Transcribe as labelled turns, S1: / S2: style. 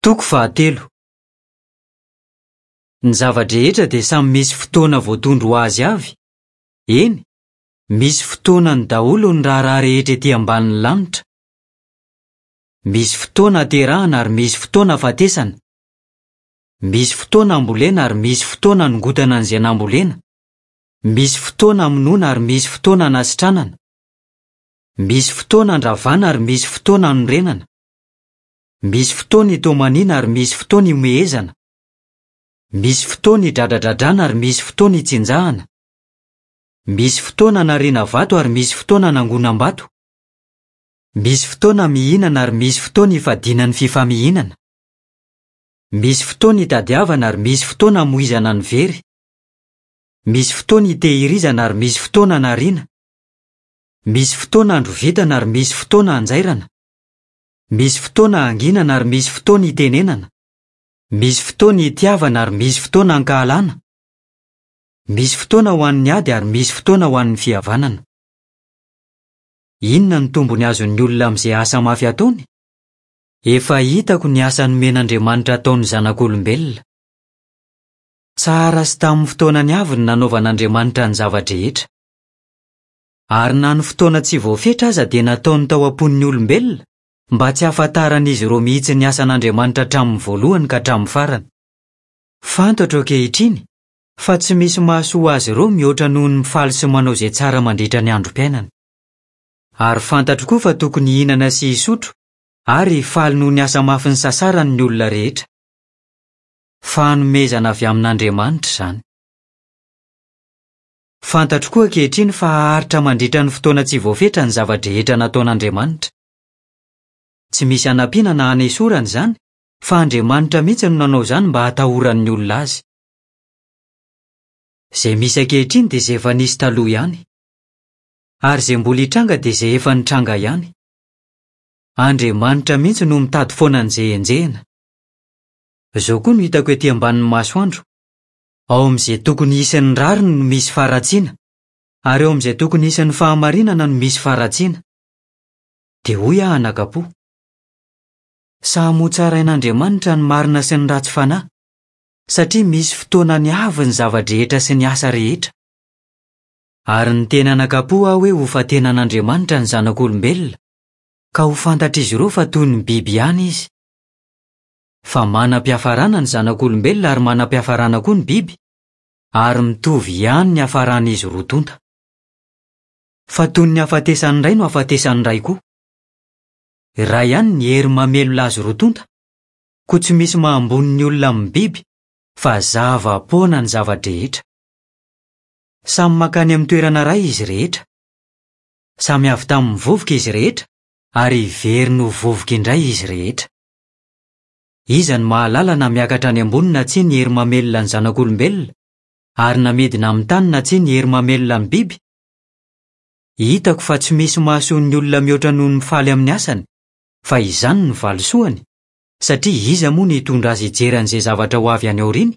S1: Toko fahatelo. Ny zava-drehetra dia samy misy fotoana voatondro ho azy avy, eny, misy fotoanany daholo ny raharaha rehetra ety ambanin'ny lanitra. Misy fotoana aterahana ary misy fotoana afatesana. Misy fotoana ambolena ary misy fotoana anongotana an'izay nambolena. Misy fotoana amonoana ary misy fotoana anasitranana. Misy fotoana andravana ary misy fotoana anorenana. Misy fotoana itomaniana ary misy fotoana ihomehezana. Misy fotoana idradradradrana ary misy fotoana itsinjahana. Misy fotoana anariana vato ary misy fotoana anangonam-bato. Misy fotoana mihinana ary misy fotoana ifadiana ny fifamihinana. Misy fotoana itadiavana ary misy fotoana amoizana ny very. Misy fotoana itehirizana ary misy fotoana anariana. Misy fotoana androvitana ary misy fotoana anjairana. Misy fotoana hanginana ary misy fotoana hitenenana. Misy fotoana hitiavana ary misy fotoana hankahalana. Misy fotoana ho an'ny ady ary misy fotoana ho an'ny fihavanana. Inona no tombony azon'ny olona amin'izay asa mafy ataony? Efa hitako ny asa nomen'Andriamanitra ataon'ny zanak'olombelona. Tsara sy tamin'ny fotoanany avy ny nanaovan'Andriamanitra ny zava-drehetra. Ary na ny fotoana tsy voafetra aza dia nataony tao am-pon'ny olombelona mba tsy hahafantaran'izy ireo mihitsy ny asan'Andriamanitra hatramin'ny voalohany ka hatramin'ny farany. Fantatro ankehitriny fa tsy misy mahasoa azy ireo mihoatra noho ny mifaly sy manao izay tsara mandritra ny androm-piainany. Ary fantatro koa fa tokony hihinana sy hisotro ary hifaly noho ny asa mafy nisasarany ny olona rehetra. Fanomezana avy amin'Andriamanitra izany. Fantatro koa ankehitriny fa haharitra mandritra ny fotoana tsy voafetra ny zava-drehetra nataon'Andriamanitra. Tsy misy hanampiana na hanesorana izany, fa Andriamanitra mihitsy no nanao izany mba hatahoran'ny olona azy. Izay misy ankehitriny dia izay efa nisy taloha ihany. Ary izay mbola hitranga dia izay efa nitranga ihany. Andriamanitra mihitsy no mitady foana an'izay enjehina. Izao koa no hitako ety ambanin'ny masoandro, Ao amin'izay tokony hisy ny rariny no misy faharatsiana, ary ao amin'izay tokony hisy ny fahamarinana no misy faharatsiana. Dia hoy aho anakapo, Samy hotsarain'Andriamanitra ny marina sy ny ratsy fanahy, satria misy fotoanany avy ny zava-drehetra sy ny asa rehetra. Ary niteny anakapo aho hoe hofantenan'Andriamanitra ny zanak'olombelona, ka ho fantatr'izy ireo fa toy ny biby ihany izy. Fa manam-piafarana ny zanak'olombelona ary manam-piafarana koa ny biby, ary mitovy ihany ny hafaran'izy roa tonta. Fa toy ny hafatesan'ny iray no hafatesan'ny iray koa. Iray ihany ny hery mamelona azy roa tonta, koa tsy misy maha ambony ny olona amin'ny biby, fa zava-poana ny zava-drehetra. Samy mankany amin'ny toerana iray izy rehetra. Samy avy tamin'ny vovoka izy rehetra, ary hiverina ho vovoka indray izy rehetra. Iza no mahalala na miakatra any ambony na tsia ny hery mamelona ny zanak'olombelona, ary na midina amin'ny tany na tsia ny hery mamelona ny biby? Hitako fa tsy misy mahasoa ny olona mihoatra noho ny mifaly amin'ny asany, fa izany no valisoany, satria iza moa no hitondra azy hijery an'izay zavatra ho avy any aoriana?